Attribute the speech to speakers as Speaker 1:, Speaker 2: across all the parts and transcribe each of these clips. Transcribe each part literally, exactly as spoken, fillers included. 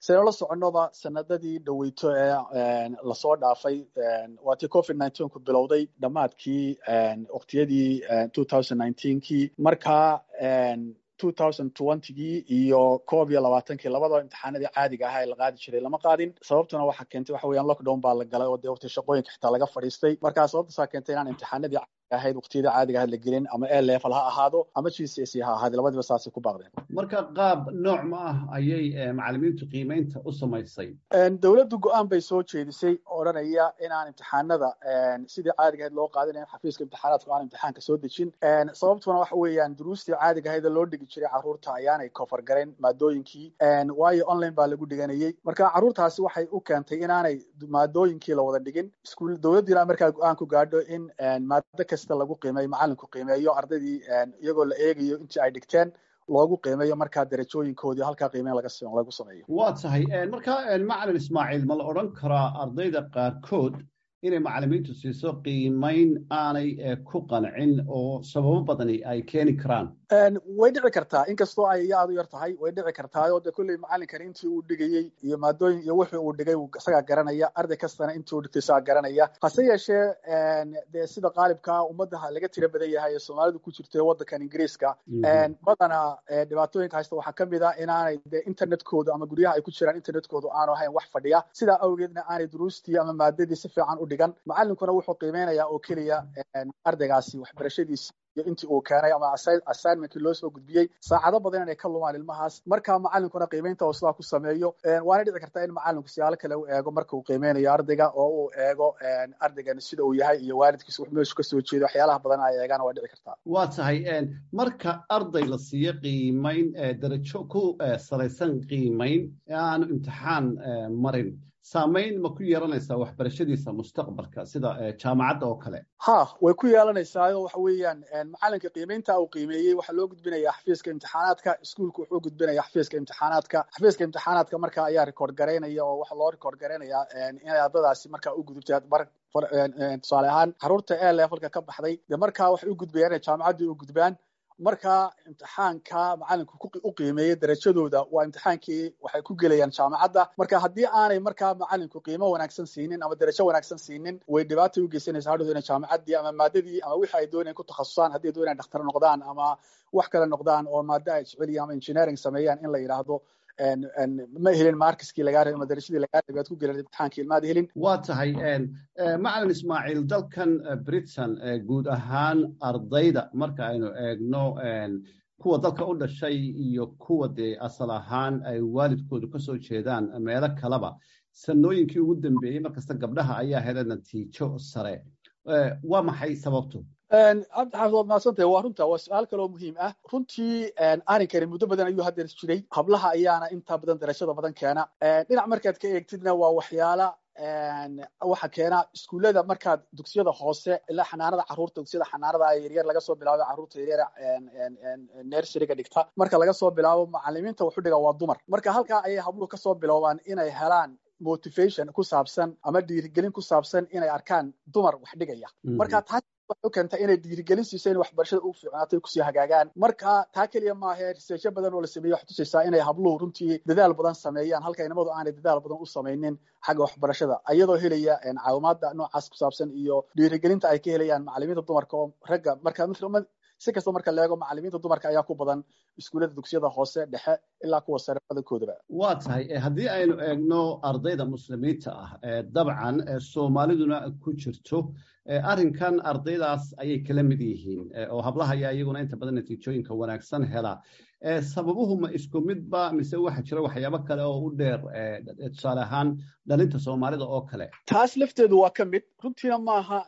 Speaker 1: Sidaynu la soconnoba, sanadadii dhoweyto ee lasoo dhaafay, waa tii covid nineteen ku bilowday dhammaadkii waqtiyadii two thousand nineteenkii. Markaa two thousand twentygii iyo koob iyo labaatankii labadaba imtixaanadii caadiga ahaa ee la qaadi jiray lama qaadin. Sababtuna waxa keentay waxa weeyaan lockdown baa la galay oo dee waqti shaqooyinka xitaa laga fadhiistay. Markaa sababtaasaa keentay inaan imtixaanadii caadiga ahayd waqtiyadii caadiga ahayd la gelin, ama A level ha ahaado ama G C S E ha ahaado, labadiba saasay ku baaqdeen.
Speaker 2: Marka qaab nooc ma ah ayay macalimiintu qiimeynta u samaysay?
Speaker 1: Dowladdu go-aan bay soo jeedisay odhanaya inaan imtixaanada sidii caadiga ahayd loo qaadinayn, xafiiska imtixaanaadku aan imtixaanka soo dejin. Sababtuna waxa weeyaan duruustii caadiga ahayd loo dhigi jiray carruurta ayaanay cover garayn maadooyinkii, waayo online baa lagu dhiganayey. Marka carruurtaasi waxay u keentay inaanay maadooyinkii la wada dhigin iskuul. Dowladdiina markaa go-aan ku gaadho in maado kasta lagu qiimeeyo, macalinku qiimeeyo ardaydii iyagoo la eegayo intii ay dhigteen, loogu qiimeeyo markaa darajooyinkoodii, halkaa qiimeyn laga lagu sameeyo.
Speaker 2: Waa tahay. Marka, macalin Ismaaciil, ma la odhan karaa ardayda qaarkood inay macalimiintu siiso qiimeyn aanay ku qancin oo sababo badani ay keeni karaan?
Speaker 1: Way dhici kartaa, inkastoo ay iyo aad u yar tahay. Way dhici kartaa oo de kolley macalinkani intii uu dhigayey iyo maadooyin iyo wuxuu uu dhigay isagaa garanaya, arday kastana intii uu dhigtay isagaa garanaya. Hase yeeshee, dee sida qaalibkaa ummadda laga tira badan yahay ee Soomaalidu ku jirto waddankan Ingiriiska, badanaa dhibaatooyinka haysta waxaa kamid ah inaanay de internetkoodu ama guryaha ay ku jiraan internetkoodu aanu ahayn wax fadhiya. Sidaa awgeedna aanay duruustii ama maadadii si fiican u dhigan. Macalinkuna wuxuu qiimeynayaa oo keliya ardaygaasi waxbarashadiisi iyo intii uu keenay ama assignmentkii loo soo gudbiyey. Saacado badan inay ka lumaan ilmahaas, marka macalinkuna qiimeynta uu sidaa ku sameeyo. Waana dhici kartaa in macalinku siyaalo kale u eego marka uu qiimeynayo ardayga, oo uu eego ardaygan sida uu yahay iyo waalidkiisa wax meeshu kasoo jeedo. Waxyaalaha badan ay eegaan waa dhici kartaa.
Speaker 2: Waa tahay. Marka arday la siiyo qiimeyn darajo ku salaysan qiimeyn aanu imtixaan marin, saamayn ma ku yeelanaysaa waxbarashadiisa mustaqbalka, sida jaamacadda oo kale?
Speaker 1: Ha, way ku yeelanaysaa. Oo waxa weeyaan macalinka qiimeynta uu qiimeeyey waxaa loo gudbinaya xafiiska imtixaanaadka. Iskuulku wuxuu gudbinaya xafiiska imtixaanaadka. Xafiiska imtixaanaadka marka ayaa record garaynaya, oo waxa loo record garaynaya inay ardadaasi marka u gudubtay. Tusaale ahaan, carruurta A levelka ka baxday dee markaa waxay u gudbayaan inay jaamacaddii u gudbaan. Marka imtixaanka macalinku u qiimeeyey darajadooda waa imtixaankii waxay ku gelayaan jaamacadda. Marka haddii aanay markaa macalinku qiimo wanaagsan siinin ama darajo wanaagsan siinin, way dhibaatay u geysanaysaa hadhowda inay jaamacaddii ama maadadii ama wixii ay doonayaan ku takhasusaan, haddii ay doonayaan dhakhtar noqdaan ama wax kale noqdaan oo maado ay jecel ama engineering sameeyaan, in la yidhaahdo ma helin markiskii lagaa rabay ama darajadii lagaa rabay aad ku gelin imtixaankii ilmaad helin.
Speaker 2: Waa tahay. Macalin Ismaaciil, dalkan Britain guud ahaan ardayda marka aynu eegno, kuwa dalka u dhashay iyo kuwa dee asal ahaan ay waalidkoodu ka soo jeedaan meelo kaleba, sanooyinkii ugu dambeeyey markasta gabdhaha ayaa hela natiijo sare. Waa maxay sababtu?
Speaker 1: Cabdixaafid, waad mahadsantahay. Waa runta, waa su-aal kaloo muhiim ah runtii. Arrinkani muddo badan ayuu haddeer jiray. Hablaha ayaana inta badan darajada badan keena. Dhinac markaad ka eegtidna, waa waxyaala waxa keena iskuullada, markaad dugsiyada hoose ilaa xanaanada carruurta, dugsiyada xanaanada yaryar laga soo bilaabo, carruurta yaryar nurseryga dhigta marka laga soo bilaabo, macalimiinta waxu dhiga waa dumar. Marka halkaa ayay habluhu kasoo biloobaan inay helaan motivation ku saabsan ama dhiirigelin ku saabsan inay arkaan dumar wax dhigaya. Marka taas waxay u keentay inay dhiirigelin siiso in waxbarashada u fiicnaatay, kusii hagaagaan. Marka taa keliya maahe, researchyo badan oo la sameeyey waxay tusaysaa inay habluhu runtii dadaal badan sameeyaan, halka inamadu aanay dadaal badan u samaynin xagga waxbarashada, iyadoo helaya caawimaada noocaas ku saabsan iyo dhiirigelinta ay ka helayaan macalimiinta dumarka oo ragga. Marka si kasta marka la eego, macalimiinta dumarka ayaa ku badan iskuullada dugsiyada hoose dhexe ilaa kuwa sare badankoodaba.
Speaker 2: Waa tahay. Haddii aynu eegno ardayda Muslimiinta ah, dabcan Soomaaliduna ku jirto, arrinkan ardaydaas ayay kala mid yihiin oo hablaha ayaa iyaguna inta badan natiijooyinka wanaagsan hela. Sababuhu ma isku midba mise waxaa jira waxyaabo kale oo u dheer, tusaale ahaan dhalinta Soomaalida oo kale?
Speaker 1: Taas lafteedu waa ka mid runtiina. Maaha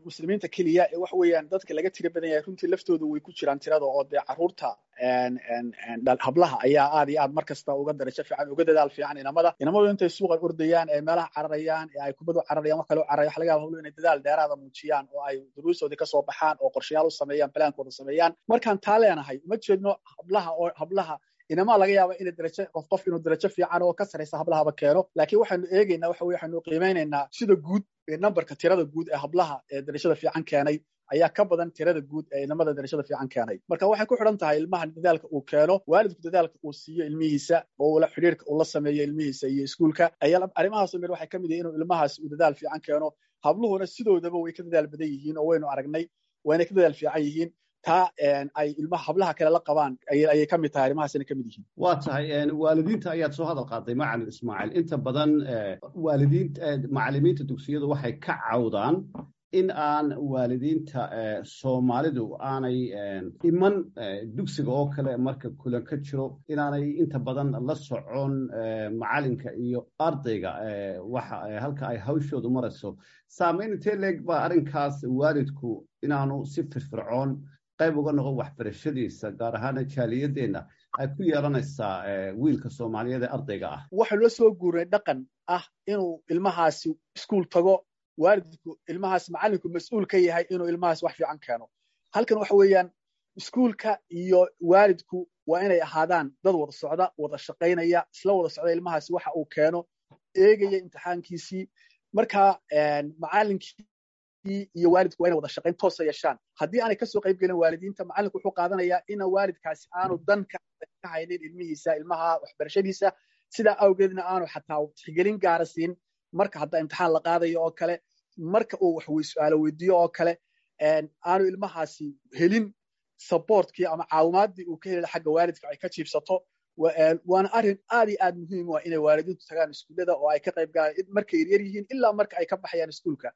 Speaker 1: Muslimiinta keliya ee waxa weeyaan dadka laga tira badan yahay runtii laftoodu way ku jiraan tirada, oo dee carruurta hablaha ayaa aad iyo aad mar kasta uga darajo fiican, uga dadaal fiican inamada. Inamadu intay suuqan ordayaan ee meelaha cararayaan ee ay kubadu cararayaan, wax kale u cararayaan, waxa laga yaba habluhu inay dadaal dheeraada muujiyaan oo ay duruustoodii kasoo baxaan oo qorshayaal u sameeyaan, plankooda sameeyaan. Markaan taa leenahay, uma jeedno hablaha oo hablaha inamaa laga yaaba inay darajo, qof qof inuu darajo fiican oo ka saraysa hablahaba keeno, laakiin waxaynu eegaynaa waxa weye waxaynu qiimeynaynaa sida guud ee numberka, tirada guud ee hablaha ee darajada fiican keenay Ayaa ka badan tirada guud ee inamada darajada fiican keenay. Marka waxay ku xidhan tahay ilmahan dadaalka uu keeno, waalidku dadaalka uu siiyo ilmihiisa oo ula xidhiirka uu la sameeyo ilmihiisa iyo iskuulka ayaa arrimahaas mir waxay ka mid yihiin inuu ilmahaas uu dadaal fiican keeno. Habluhuna sidoodaba way ka dadaal badan yihiin oo waynu aragnay, wayna ka dadaal fiican yihiin. Taa ay ilmaha hablaha kale la qabaan ayay ka mid tahay, arrimahaasina ka mid yihiin.
Speaker 2: Waa tahay. Waalidiinta ayaad soo hadal qaaday, macalin Ismaaciil. Inta badan waalidiinta, macalimiinta dugsiyadu waxay ka cawdaan in aan waalidiinta Soomaalidu aanay iman dugsiga oo kale marka kulan ka jiro, inaanay inta badan la socon macalinka iyo ardayga waxa halka ay hawshoodu marayso. Saamayn intee leeg baa arrinkaas waalidku inaanu si firfircoon qayb uga noqon waxbarashadiisa, gaar ahaana jaaliyadeenna, ay ku yeelanaysaa wiilka Soomaaliyeed ee ardayga ah?
Speaker 1: Waxaa loo soo guuray dhaqan ah inuu ilmahaasi iskuul tago, waalidku ilmahaas, macallinku mas-uul ka yahay inuu ilmahaas wax fiican keeno. Halkan waxa weeyaan, iskuulka iyo waalidku waa inay ahaadaan dad wada socda, wada shaqaynaya, isla wada socda, ilmahaasi waxa uu keeno eegaya, imtixaankiisii. Marka macallinkii iyo waalidku waa inay wada shaqayn toosa yeeshaan. Haddii aanay kasoo qayb gelin waalidiinta, macallinku wuxuu qaadanayaa ina waalidkaasi aanu dan ka haynin ilmihiisa, ilmaha waxbarashadiisa. Sidaa awgeedna aanu xataa tixgelin gaara siin marka hadda imtixaan la qaadayo oo kale, marka uu wax su-aalo weydiiyo oo kale, aanu ilmahaasi helin supportkii ama caawimaadii uu ka heli xagga waalidka ay ka jiibsato. Waana arrin aad iyo aad muhiim u ah inay waalidiintu tagaan iskuullada oo ay ka qayb galaan markay yaryar yihiin ilaa marka ay ka baxayaan iskuulka.